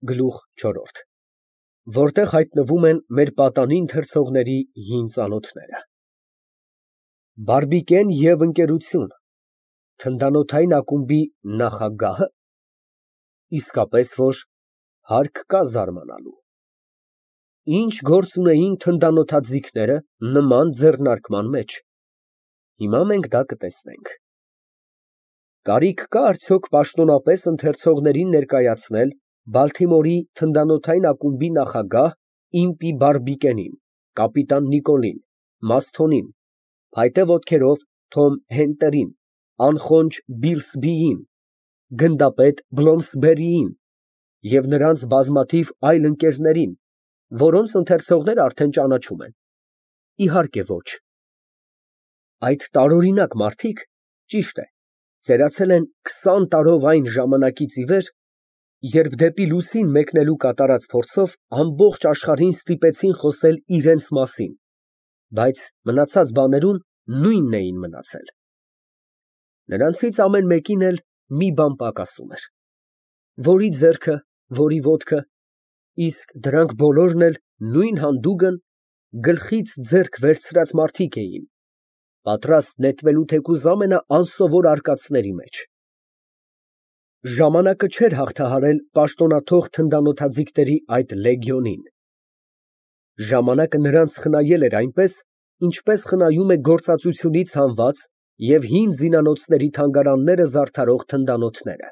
Գլուխ չորրորդ, որտեղ հայտնվում են մեր պատանին ընթերցողների հին ծանոթները։ Բարբիկեն և ընկերություն, թնդանոթային ակումբի նախագահը, իսկապես որ հարկ կա զարմանալու։ Ինչ գործ ունեին թնդանոթաձիգները նման ձեռնարկման մեջ, հիմա մենք դա կտեսնենք։ Կարիք կա արդյոք պաշտոնապես ընթերցողներին ներկայացնել Բալթիմորի թնդանոթային ակումբի նախագահ Իմպի Բարբիկենին, կապիտան Նիկոլին, Մասթոնին, փայտե ոտքերով Թոմ Հենտերին, անխոնջ Բիլսբիին, գնդապետ Բլոմսբերիին և նրանց բազմաթիվ այլ ընկերներին, որոնց ընթերցողները արդեն ճանաչում են։ Իհարկե ոչ։ Այդ տարօրինակ մարդիկ, ճիշտ է, ծերացել են 20 տարով այն ժամանակից ի վեր, երբ դեպի լուսին մեկնելու կատարած փորձով ամբողջ աշխարհին ստիպեցին խոսել իրենց մասին, բայց մնացած բաներում նույնն էին մնացել։ Նրանցից ամեն մեկին էլ մի բան պակասում էր. որի ձեռքը, որի ոտքը, իսկ դրանք բոլորն էլ նույն հանդուգն գլխից ձեռք վերցրած մարդիկ էին, պատրաստ նետվելու թեկուզ ամենաանսովոր արկածների մեջ։ Ժամանակը չէր հաղթահարել պաշտոնաթող թնդանոթաձիգների այդ լեգիոնին։ Ժամանակը նրանց խնայել էր այնպես, ինչպես խնայում է գործածությունից հանված և հին զինանոցների թանգարանները զարդարող թնդանոթները։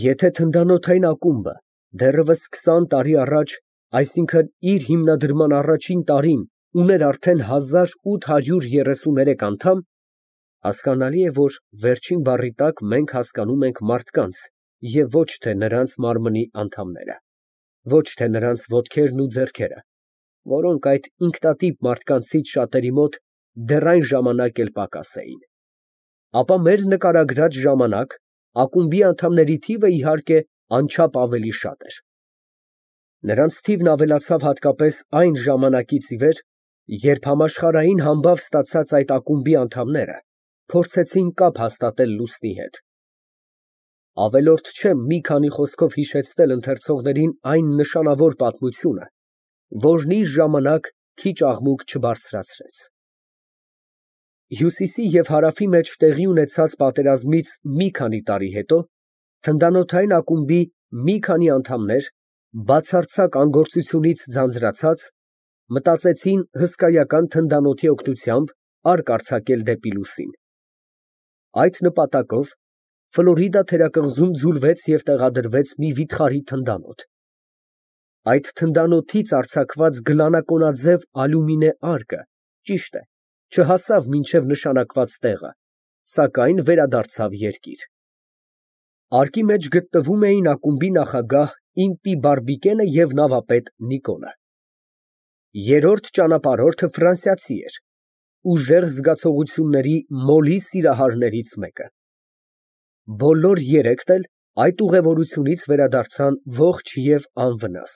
Եթե թնդանոթային ակումբը դեռևս 20 տարի առաջ, այսինքն իր հիմնադրման առաջին տարին, ուներ արդեն 1833 անդամ, հասկանալի է, որ վերջին բառի տակ մենք հասկանում ենք մարդկանց և ոչ թե նրանց մարմնի անդամները, ոչ թե նրանց ոտքերն ու ձեռքերը, որոնք այդ ինքնատիպ մարդկանցից շատերի մոտ դեռ այն ժամանակ էլ պակաս էին, ապա մեր նկարագրած ժամանակ ակումբի անդամների թիվը, իհարկե, անչափ ավելի շատ էր։ Նրանց թիվն ավելացավ հատկապես այն ժամանակից ի վեր, երբ համաշխարհային համբավ ստացած այդ ակումբի անդամները փորձեցին կապ հաստատել լուսնի հետ։ Ավելորդ չեմ մի քանի խոսքով հիշեցնել ընթերցողներին այն նշանավոր պատմությունը, որն իր ժամանակ քիչ աղմուկ չբարձրացրեց։ Հյուսիսի և հարավի մեջ տեղի ունեցած պատերազմից մի քանի տարի հետո թնդանոթային ակումբի մի քանի անդամներ, բացարձակ անգործությունից ձանձրացած, մտածեցին հսկայական թնդանոթի օգնությամբ արկ արձակել դեպի լուսին։ Այդ նպատակով Ֆլորիդա թերակղզում ձուլվեց և տեղադրվեց մի վիթխարի թնդանոթ։ Այդ թնդանոթից արձակված գլանակոնաձև ալյումինե արկը, ճիշտ է, չհասավ մինչև նշանակված տեղը, սակայն վերադարձավ երկիր։ Արկի մեջ գտնվում էին ակումբի նախագահ Իմպի Բարբիկենը և նավապետ Նիկոլը։ Երրորդ ճանապարհորդը ֆրանսիացի էր, ուժեղ զգացողությունների մոլի սիրահարներից մեկը։ Բոլոր երեքն էլ այդ ուղևորությունից վերադարձան ողջ և անվնաս։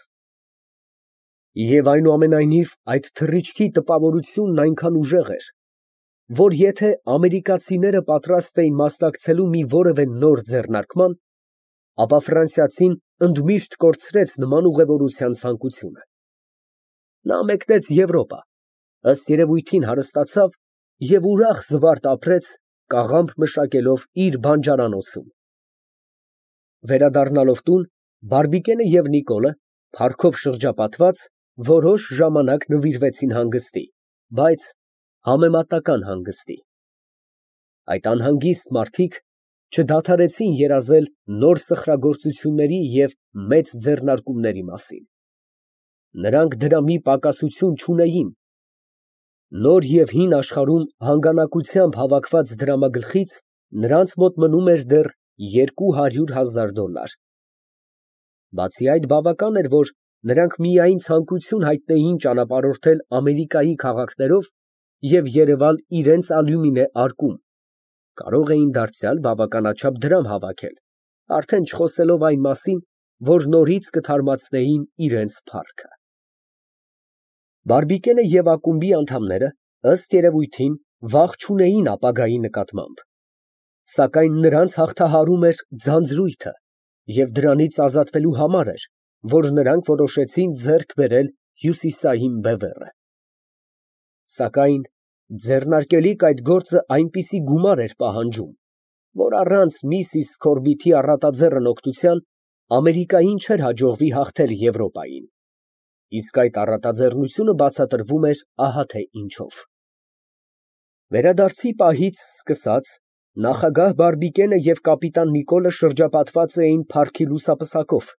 Եվ այնուամենայնիվ այդ թռիչքի տպավորությունն այնքան ուժեղ էր, որ եթե ամերիկացիները պատրաստ էին մասնակցելու մի որևէ նոր ձեռնարկման, ապա ֆրանսիացին ընդմիշտ կորցրեց նման ուղևորության ցանկությունը։ Նա մեկնեց Եվրոպա, ըստ երևույթին հարստացավ և ուրախ զվարթ ապրեց, կաղամբ մշակելով իր բանջարանոցում։ Վերադառնալով տուն, Բարբիկենը և Նիկոլը, փառքով շրջապատված, որոշ ժամանակ նվիրվեցին հանգստի, բայց համեմատական հանգստի։ Այդ անհանգիստ մարդիկ չդադարեցին երազել նոր սխրագործությունների և մեծ ձեռնարկումների մասին։ Նրանք դրամի պակասություն չունեին։ Նոր և հին աշխարհում հանգանակությամբ հավաքված դրամագլխից նրանց մոտ մնում էր դեռ $200,000։ Բացի այդ, բավական էր, որ նրանք միայն ցանկություն հայտնեին ճանապարհորդել Ամերիկայի քաղաքներով և երևալ իրենց ալյումինե արկում, կարող էին դարձյալ բավականաչափ դրամ հավաքել, արդեն չխոսելով այն մասին, որ նորից կթարմացնեին իրենց փառքը։ Բարբիկենը և ակումբի անդամները, ըստ երևույթին, վախ չունեին ապագայի նկատմամբ, սակայն նրանց հաղթահարում էր ձանձրույթը, և դրանից ազատվելու համար էր, որ նրանք որոշեցին ձեռք բերել հյուսիսային բևեռը։ Սակայն ձեռնարկելիք այդ գործը այնպիսի գումար էր պահանջում, որ առանց միսիս Սքորբիթի առատաձեռն օգնության Ամերիկային չէր հաջողվի հաղթել Եվրոպային, իսկ այդ առատաձեռնությունը բացատրվում էր ահա թե ինչով։ Վերադարձի պահից սկսած նախագահ Բարբիկենը և կապիտան Նիկոլը շրջապատված էին փառքի լուսապսակով,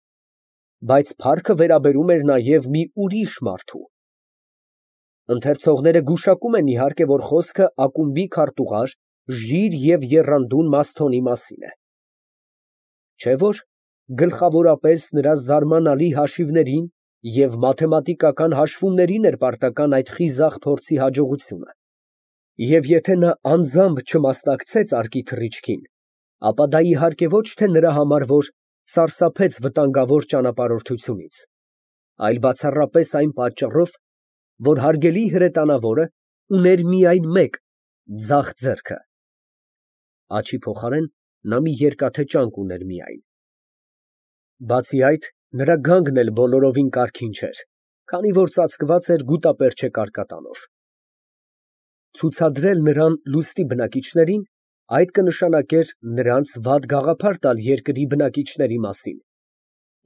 բայց փառքը վերաբերում էր նաև մի ուրիշ մարդու։ Ընթերցողները գուշակում են, իհարկե, որ խոսքը ակումբի քարտուղար, ժիր և եռանդուն Մասթոնի մասին է։ Չէ՞ որ գլխավորապես նրա զարմանալի հաշիվներին և մաթեմատիկական հաշվումներին էր պարտական այդ խիզախ փորձի հաջողությունը, և եթե նա անձամբ չմասնակցեց արկի թռիչքին, ապա դա իհարկե ոչ թե նրա համար, որ սարսափեց վտանգավոր ճանապարհորդությունից, այլ բացառապես այն պատճառով, որ հարգելի հրետանավորը ուներ միայն մեկ ձախ ձեռքը (աչի փոխարեն նա մի երկաթե ճանկ ուներ միայն)։ Բացի այդ, նրա գանգն էլ բոլորովին կարգին չէր, քանի որ ծածկված էր գուտապերճե կարկատանով։ Ցուցադրել նրան լուստի բնակիչներին, այդ կնշանակեր նրանց վատ գաղափար տալ երկրի բնակիչների մասին,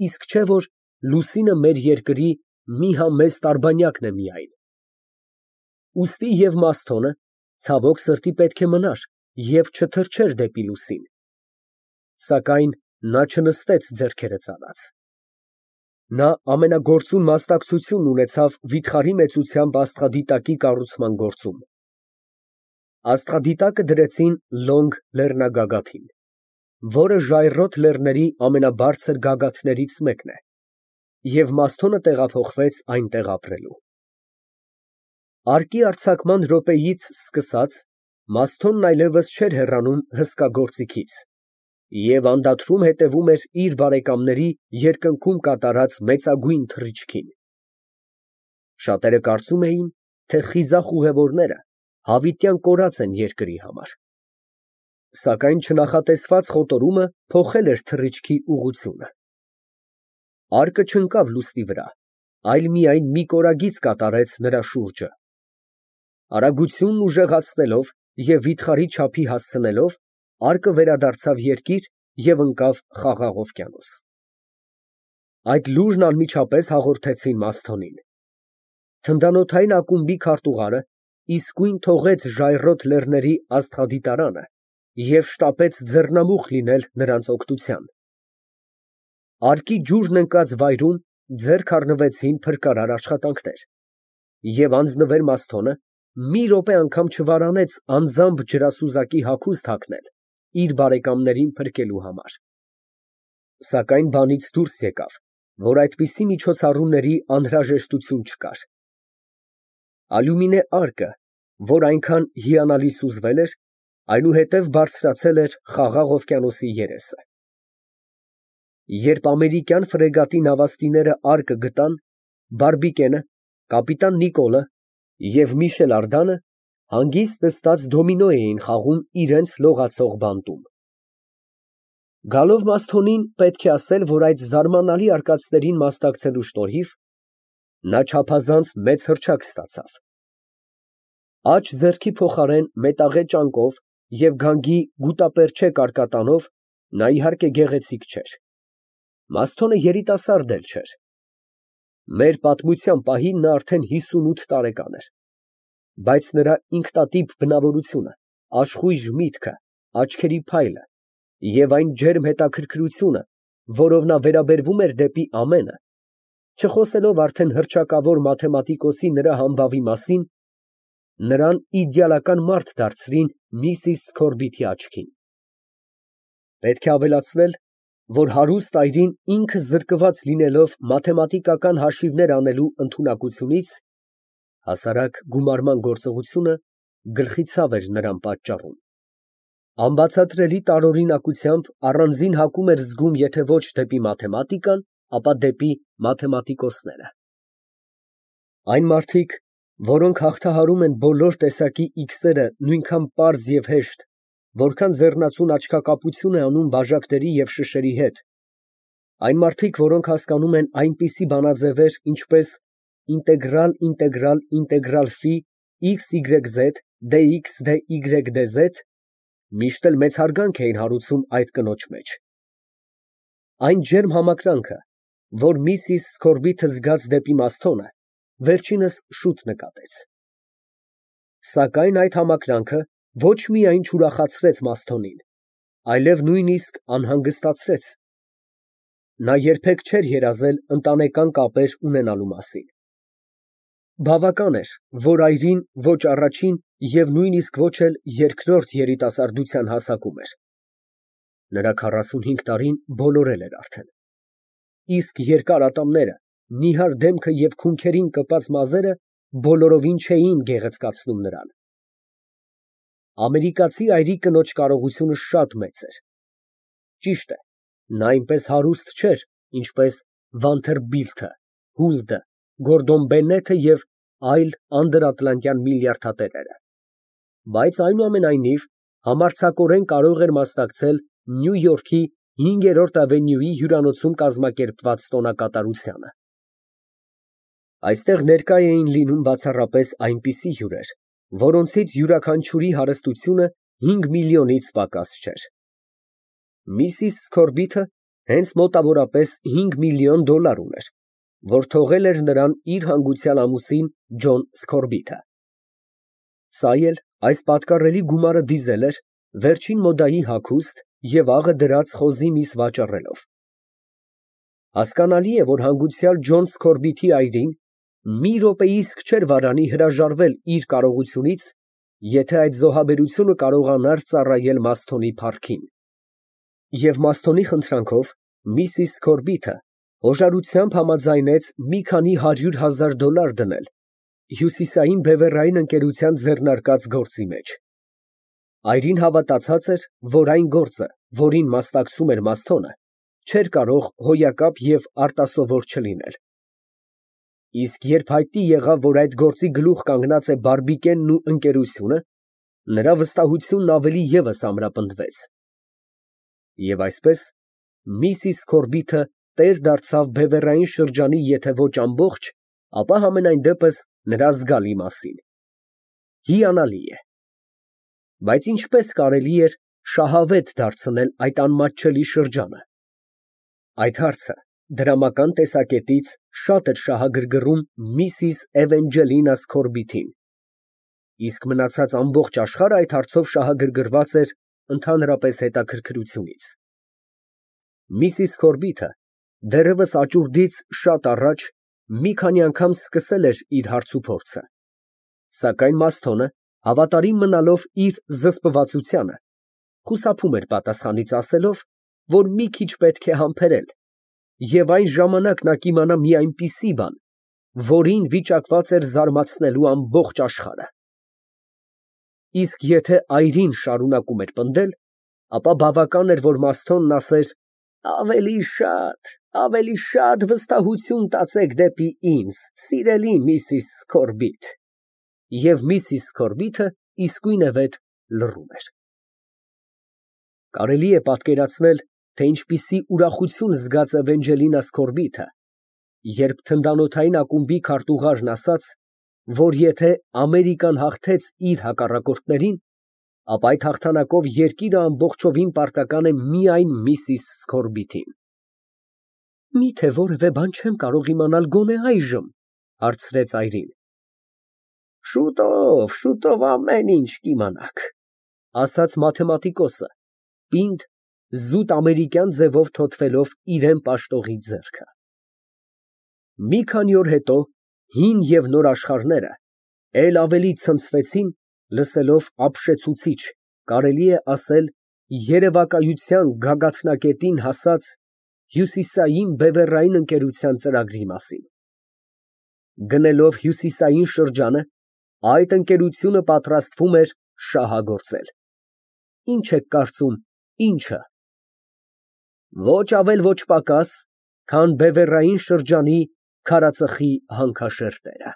իսկ չէ որ լուսինը մեր երկրի մի համեստ արբանյակն է միայն։ Ուստի և Մասթոնը, ցավոք սրտի, պետք է մնար և չթռչեր դեպի լուսին, սակայն նա չնստեց ձեռքերը ծալած։ Նա ամենագործուն մասնակցությունն ունեցավ վիթխարի մեծությամբ աստղադիտակի կառուցման գործում։ Աստղադիտակը դրեցին Լոնգ լեռնագագաթին, որը ժայռոտ լեռների ամենաբարձր գագաթներից մեկն է, և Մասթոնը տեղափոխվեց այնտեղ ապրելու։ Արկի արձակման րոպեից սկսած Մասթոնն այլևս չէր հեռանում հսկա գործիքից և անդադրում հետևում էր իր բարեկամների երկնքում կատարած մեծագույն թռիչքին։ Շատերը կարծում էին, թե խիզախ ուղևորները հավիտյան կորած են երկրի համար։ Սակայն չնախատեսված խոտորումը փոխել էր թռիչքի ուղղությունը։ Արկը չընկավ լուստի վրա, այլ միայն մի կորագիծ կատարեց նրա շուրջը։ Արագությունն ուժեղացնելով և վիթխարի չափի հասցնելով, արկը վերադարձավ երկիր և ընկավ Խաղաղ օվկիանոս։ Այդ լուրն անմիջապես հաղորդեցին Մասթոնին։ Թնդանոթային ակումբի քարտուղարը իսկույն թողեց ժայռոտ լեռների աստղադիտարանը և շտապեց ձեռնամուխ լինել նրանց օգնության։ Արկի ջուրն ընկած վայրում ձեռք առնվեցին փրկարար աշխատանքներ, և անձնվեր Մասթոնը մի րոպե անգամ չվարանեց անձամբ ջրասուզակի հագուստ հագնել իր բարեկամներին փրկելու համար։ Սակայն բանից դուրս եկավ, որ այդպիսի միջոցառումների անհրաժեշտություն չկար։ Ալյումինե արկը, որ այնքան հիանալի սուզվել էր, այնուհետև բարձրացել էր Խաղաղ օվկիանոսի երեսը։ Երբ ամերիկյան ֆրեգատի նավաստիները արկը գտան, Բարբիկենը, կապիտան Նիկոլը և Միշել Արդանը հանգիստ նստած դոմինո էին խաղում իրենց լողացող բանտում։ Գալով Մասթոնին, պետք է ասել, որ այդ զարմանալի արկածներին մասնակցելու շնորհիվ նա չափազանց մեծ հռչակ ստացավ։ Աջ ձեռքի փոխարեն մետաղե ճանկով և գանգի գուտապերճե կարկատանով նա իհարկե գեղեցիկ չէր։ Մասթոնը երիտասարդ էլ չէր։ Մեր պատմության պահին նա արդեն 58 տարեկան էր, բայց նրա ինքնատիպ բնավորությունը, աշխույժ միտքը, աչքերի փայլը և այն ջերմ հետաքրքրությունը, որով նա վերաբերվում էր դեպի ամենը, չխոսելով արդեն հռչակավոր մաթեմատիկոսի նրա համբավի մասին, նրան իդեալական մարդ դարձրին միսիս Սքորբիթի աչքին։ Պետք է ավելացնել, որ հարուստ այրին ինքը զրկված լինելով մաթեմատիկական հաշիվներ անելու ընդունակությունից, հասարակ գումարման գործողությունը գլխի ցավ էր նրան պատճառում։ Անբացատրելի տարօրինակությամբ առանձին հակում էր զգում եթե ոչ դեպի մաթեմատիկան, ապա դեպի մաթեմատիկոսները։ Այն մարդիկ, որոնք հաղթահարում են բոլոր տեսակի իքսերը նույնքան պարզ և հեշտ, որքան ձեռնածուն աչքակապություն է անում բաժակների և շշերի հետ, Այն մարդիկ, որոնք հասկանում են այնպիսի բանաձևեր, ինչպես ֆի XYZ dx dy dz, միշտ էլ մեծ հարգանք էին հարուցում այդ կնոջ մեջ։ Այն ջերմ համակրանքը, որ Միսիս Սքորբիթը զգաց դեպի Մասթոնը, վերջինս շուտ նկատեց։ Սակայն այդ համակրանքը ոչ միայն չուրախացրեց Մասթոնին, այլև նույնիսկ անհանգստացրեց։ Նա երբեք չէր երազել ընտանեկան կապեր ունենալու մասին։ Բավական էր, որ այրին ոչ առաջին և նույնիսկ ոչ էլ երկրորդ երիտասարդության հասակում էր։ Նրա 45 տարին բոլորել էր արդեն։ Իսկ երկար ատամները, նիհար դեմքը և քունքերին կպած մազերը բոլորովին չէին գեղեցկացնում նրան։ Ամերիկացի այրի կնոջ կարողությունը շատ մեծ էր։ Ճիշտ է, նա այնպես հարուստ չէր, ինչպես Վանթերբիլթը, Հուլդը, Գորդոն Բեննեթը և այլ անդրաատլանտյան միլիարդատերերը, բայց այնուամենայնիվ համարձակորեն կարող էր մասնակցել Նյու Յորքի 5-րդ ավենյուի հյուրանոցում կազմակերպված տոնակատարությանը։ Այստեղ ներկա էին լինում բացառապես այնպիսի հյուրեր, որոնցից յուրաքանչյուրի հարստությունը 5 միլիոնից պակաս չէր։ Միսիս Սքորբիթը հենց մոտավորապես 5 միլիոն դոլար ուներ, որ թողել էր նրան իր հանգուցյալ ամուսին Ջոն Սքորբիթը։ Սա էլ այս պատկառելի գումարը դիզել էր վերջին մոդայի հագուստ և աղը դրած խոզի միս վաճառելով։ Հասկանալի է, որ հանգուցյալ Ջոն Սքորբիթի այրին մի րոպեիսկ չէր վարանի հրաժարվել իր կարողությունից, եթե այդ զոհաբերությունը կարողանար ծառայել Մասթոնի փառքին։ Եվ Մասթոնի խնդրանքով Միսիս Սքորբիթը հոժարությամբ համաձայնեց մի քանի $100,000 դնել Հյուսիսային բևեռային ընկերության ձեռնարկած գործի մեջ։ Այրին հավատացած էր, որ այն գործը, որին մասնակցում էր Մասթոնը, չէր կարող հոյակապ և արտասովոր չլինել։ Իսկ երբ հայտնի եղավ, որ այդ գործի գլուխ կանգնած է Բարբիկենն ու ընկերությունը, նրա վստահությունն ավելի ևս ամրապնդվեց։ Եվ այսպես, Միսիս Սքորբիթը տեր դարձավ բևեռային շրջանի եթե ոչ ամբողջ, ապա համենայնդեպս նրա զգալի մասին։ Հիանալի է։ Բայց ինչպես կարելի էր շահավետ դարձնել այդ անմատչելի շրջանը։ Այդ հարցը դրամական տեսակետից շատ էր շահագրգռում Միսիս Էվենջելինա Սքորբիթին, իսկ մնացած ամբողջ աշխարհը այդ հարցով շահագրգռված էր ընդհանրապես հետաքրքրությունից։ Միսիս Սքորբիթը դեռևս աճուրդից շատ առաջ մի քանի անգամ սկսել էր իր հարցուփորձը, սակայն Մասթոնը, հավատարիմ մնալով իր զսպվածությանը, խուսափում էր պատասխանից ասելով, որ մի քիչ պետք է համբերել, և այն ժամանակ նա կիմանա մի այնպիսի բան, որին վիճակված էր զարմացնելու ամբողջ աշխարհը։ Իսկ եթե այրին շարունակում էր պնդել, ապա բավական էր, որ Մասթոնն ասեր. ավելի շատ վստահություն տածեք դեպի ինձ, սիրելի Միսիս Սքորբիթ, և Միսիս Սքորբիթը իսկույնևեթ լռում էր։ Կարելի է պատկերացնել, թե ինչպիսի ուրախություն զգաց Էվենջելինա Սքորբիթը, երբ թնդանոթային ակումբի քարտուղարն ասաց, որ եթե Ամերիկան հաղթեց իր հակառակորդներին, ապա այդ հաղթանակով երկիրը ամբողջովին պարտական է միայն Միսիս Սքորբիթին։ Միթե որևէ բան չեմ կարող իմանալ գոնե այժմ, հարցրեց այրին։ Շուտով ամեն ինչ կիմանաք, ասաց մաթեմատիկոսը, պինդ, զուտ ամերիկյան ձևով թոթվելով իրան պաշտողի ձեռքը։ Մի քանի օր հետո հին և նոր աշխարհները էլ ավելի ցնցվեցին, լսելով ապշեցուցիչ, կարելի է ասել երևակայության գագաթնակետին հասած Հյուսիսային բևեռային ընկերության ծրագրի մասին։ Գնելով Հյուսիսային շրջանը, այդ ընկերությունը պատրաստվում էր շահագործել։ Ինչ եք կարծում, ինչը։ Ոչ ավել, ոչ պակաս, քան բևեռային շրջանի քարածխի հանքաշերտերը։